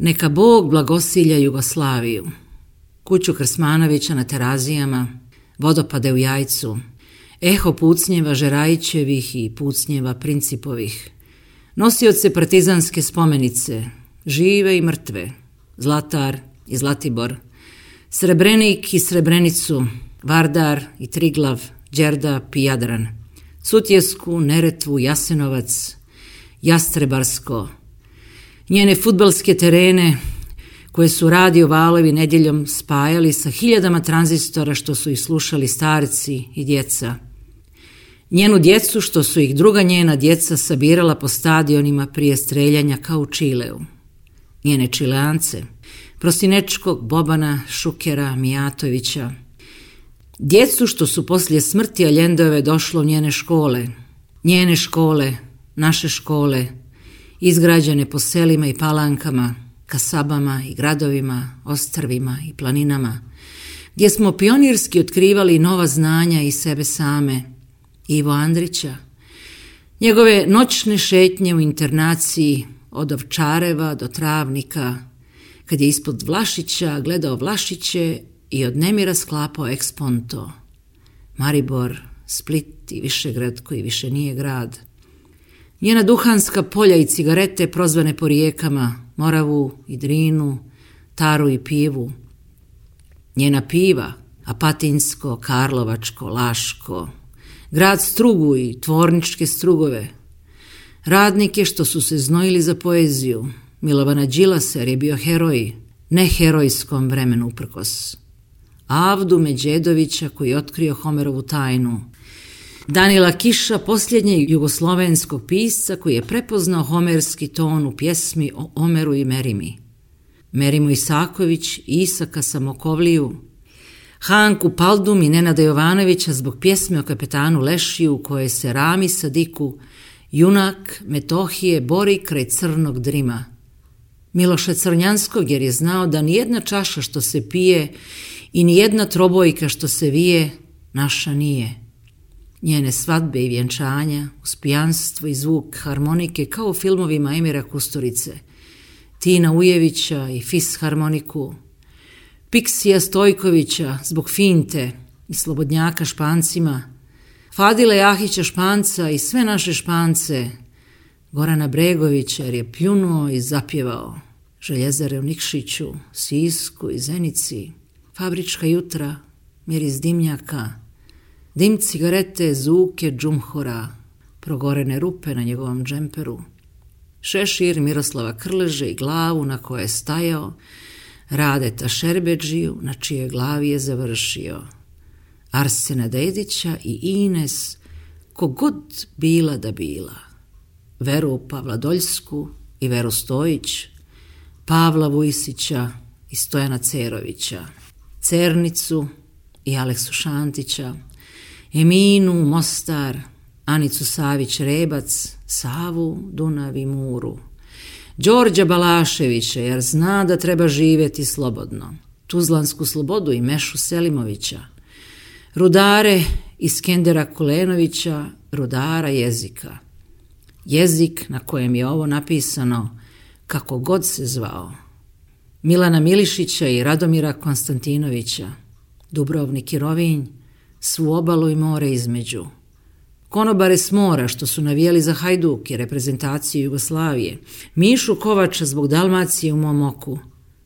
Neka Bog blagosilja Jugoslaviju, kuću Krsmanovića na Terazijama, vodopade u Jajcu, eho pucnjeva Žerajićevih i pucnjeva Principovih, nosioce partizanske spomenice, žive i mrtve, Zlatar i Zlatibor, Srebrenik i Srebrenicu, Vardar i Triglav, Đerdap i Jadran, Sutjesku, Neretvu, Jasenovac, Jastrebarsko, njene fudbalske terene koje su radio valovi nedjeljom spajali sa hiljadama tranzistora što su ih slušali starci i djeca. Njenu djecu što su ih druga njena djeca sabirala po stadionima prije streljanja kao u Čileu. Njene Čileance, Prostinečkog, Bobana, Šukera, Mijatovića. Djecu što su poslije smrti Aljendove došlo u njene škole, naše škole, izgrađene po selima i palankama, kasabama i gradovima, ostrvima i planinama, gdje smo pionirski otkrivali nova znanja i sebe same, Ivo Andrića, njegove noćne šetnje u internaciji od Ovčareva do Travnika, kad je ispod Vlašića gledao Vlašiće i od nemira sklapao eksponto, Maribor, Split i Višegrad koji više nije grad. Njena duhanska polja i cigarete prozvane po rijekama, Moravu i Drinu, Taru i Pivu. Njena piva, Apatinsko, Karlovačko, Laško, grad strugu i tvorničke strugove. Radnike što su se znojili za poeziju, Milovana Đilasa jer je bio heroj, ne herojskom vremenu uprkos. Avdu Međedovića koji je otkrio Homerovu tajnu. Danila Kiša, posljednjeg jugoslovenskog pisca koji je prepoznao homerski ton u pjesmi o Omeru i Merimi. Merimu Isaković, Isaka Samokovliju, Hanku Paldum i Nenada Jovanovića zbog pjesme o kapetanu Lešiju u kojoj se Rami Sadiku, junak Metohije, bori kraj crnog drima. Miloša Crnjanskog jer je znao da nijedna čaša što se pije i nijedna trobojka što se vije naša nije. Njene svadbe i vjenčanja, uz pijanstvo i zvuk harmonike kao u filmovima Emira Kusturice, Tina Ujevića i Fis harmoniku, Piksija Stojkovića zbog finte i Slobodnjaka Špancima, Fadile Jahića Španca i sve naše Špance, Gorana Bregovića jer je pljunuo i zapjevao, Željezare u Nikšiću, Sisku i Zenici, Fabrička jutra, miris dimnjaka, dim cigarete, zuke džumhora, progorene rupe na njegovom džemperu, šešir Miroslava Krleže i glavu na kojoj je stajao, Radeta Šerbedžiju na čijoj glavi je završio, Arsena Dedića i Ines, kogod bila da bila, Veru Pavladoljsku i Veru Stojić, Pavla Vujsića i Stojana Cerovića, Cernicu i Aleksu Šantića, Eminu Mostar, Anicu Savić-Rebac, Savu, Dunav i Muru, Đorđa Balaševića jer zna da treba živjeti slobodno, Tuzlansku slobodu i Mešu Selimovića, rudare Iskendera Kulenovića, rudara jezika. Jezik na kojem je ovo napisano, kako god se zvao. Milana Milišića i Radomira Konstantinovića, Dubrovnik i Rovinj, svu obalu i more između. Konobare s mora što su navijali za Hajduk i reprezentaciju Jugoslavije, Mišu Kovača zbog Dalmacije u mom oku,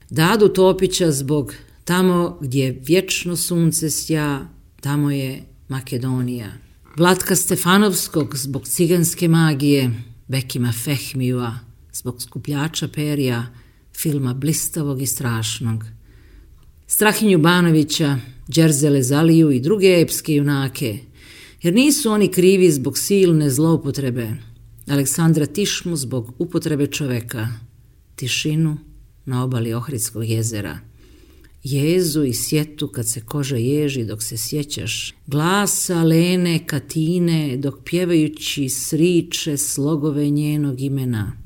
Dadu Topića zbog tamo gdje vječno sunce sja, tamo je Makedonija. Vlatka Stefanovskog zbog ciganske magije, Bekima Fehmijua zbog skupljača perja, filma blistavog i strašnog. Strahinju Banovića, Đerzele Zaliju i druge epske junake, jer nisu oni krivi zbog silne zloupotrebe. Aleksandra Tišmu zbog upotrebe čoveka, tišinu na obali Ohridskog jezera, jezu i sjetu kad se koža ježi dok se sjećaš, glasa Lene Katine dok pjevajući sriče slogove njenog imena,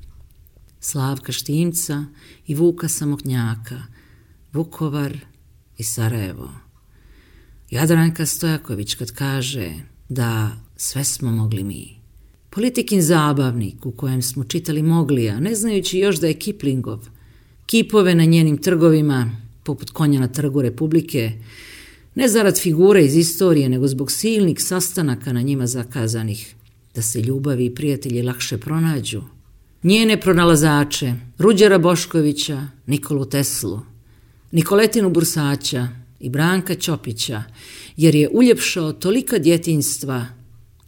Slavka Štimca i Vuka Samoknjaka, Vukovar i Sarajevo. Jadranka Stojaković kad kaže da sve smo mogli mi. Politikin zabavnik u kojem smo čitali Moglija, ne znajući još da je Kiplingov, kipove na njenim trgovima, poput konja na trgu Republike, ne zarad figure iz istorije, nego zbog silnih sastanaka na njima zakazanih, da se ljubavi i prijatelji lakše pronađu. Njene pronalazače, Ruđera Boškovića, Nikolu Teslu, Nikoletinu Bursaća i Branka Ćopića, jer je uljepšao tolika djetinjstva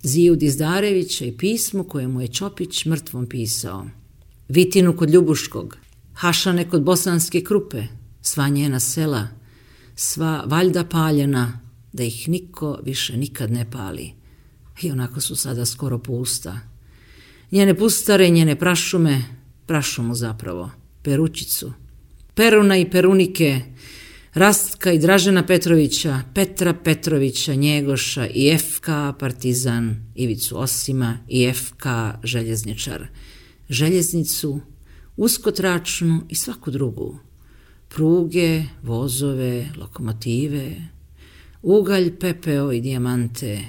Ziju Dizdarevića i pismu koje mu je Ćopić mrtvom pisao. Vitinu kod Ljubuškog, Hašane kod Bosanske Krupe, sva njena sela, sva valjda paljena, da ih niko više nikad ne pali. I onako su sada skoro pusta. Njene pustare, njene prašume, prašumu zapravo, Peručicu, Peruna i Perunike, Rastka i Dražena Petrovića, Petra Petrovića, Njegoša i FK Partizan, Ivicu Osima i FK Željezničar, Željeznicu, uskotračnu i svaku drugu, pruge, vozove, lokomotive, ugalj, pepeo i dijamante,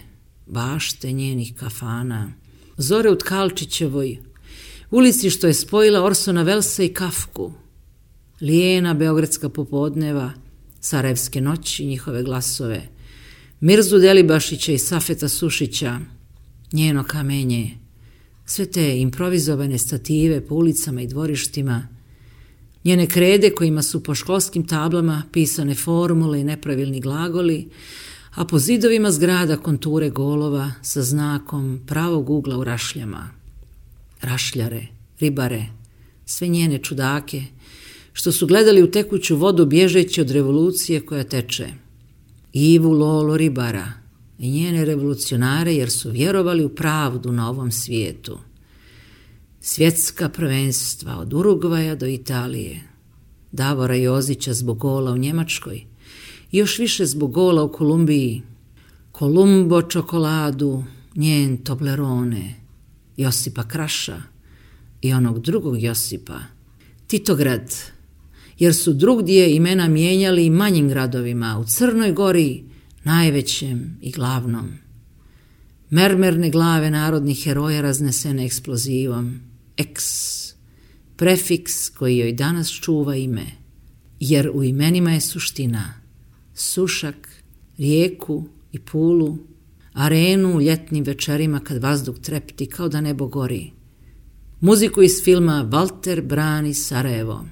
bašte njenih kafana, zore u Tkalčićevoj, ulici što je spojila Orsona Welsa i Kafku, lijena beogradska popodneva, sarajevske noći, njihove glasove, Mirzu Delibašića i Safeta Sušića, njeno kamenje, sve te improvizovane stative po ulicama i dvorištima, njene krede kojima su po školskim tablama pisane formule i nepravilni glagoli, a po zidovima zgrada konture golova sa znakom pravog ugla u rašljama. Rašljare, ribare, sve njene čudake, što su gledali u tekuću vodu bježeći od revolucije koja teče. Ivu Lolo ribara i njene revolucionare jer su vjerovali u pravdu na ovom svijetu. Svjetska prvenstva od Urugvaja do Italije, Davora Jozića zbog gola u Njemačkoj i još više zbog gola u Kolumbiji, Kolumbo čokoladu, njen Toblerone, Josipa Kraša i onog drugog Josipa, Titograd, jer su drugdje imena mijenjali i manjim gradovima, u Crnoj Gori, najvećem i glavnom. Mermerne glave narodnih heroja raznesene eksplozivom, X, prefiks koji joj danas čuva ime, jer u imenima je suština, Sušak, rijeku i Pulu, arenu u ljetnim večerima kad vazduh trepti kao da nebo gori, muziku iz filma Valter brani Sarajevo,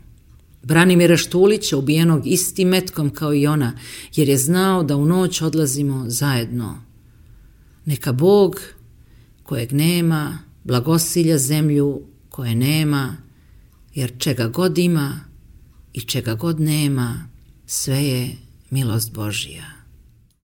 Branimira Štulića ubijenog istim metkom kao i ona, jer je znao da u noć odlazimo zajedno. Neka Bog, kojeg nema, blagosilja zemlju koje nema, jer čega god ima i čega god nema, sve je milost Božja.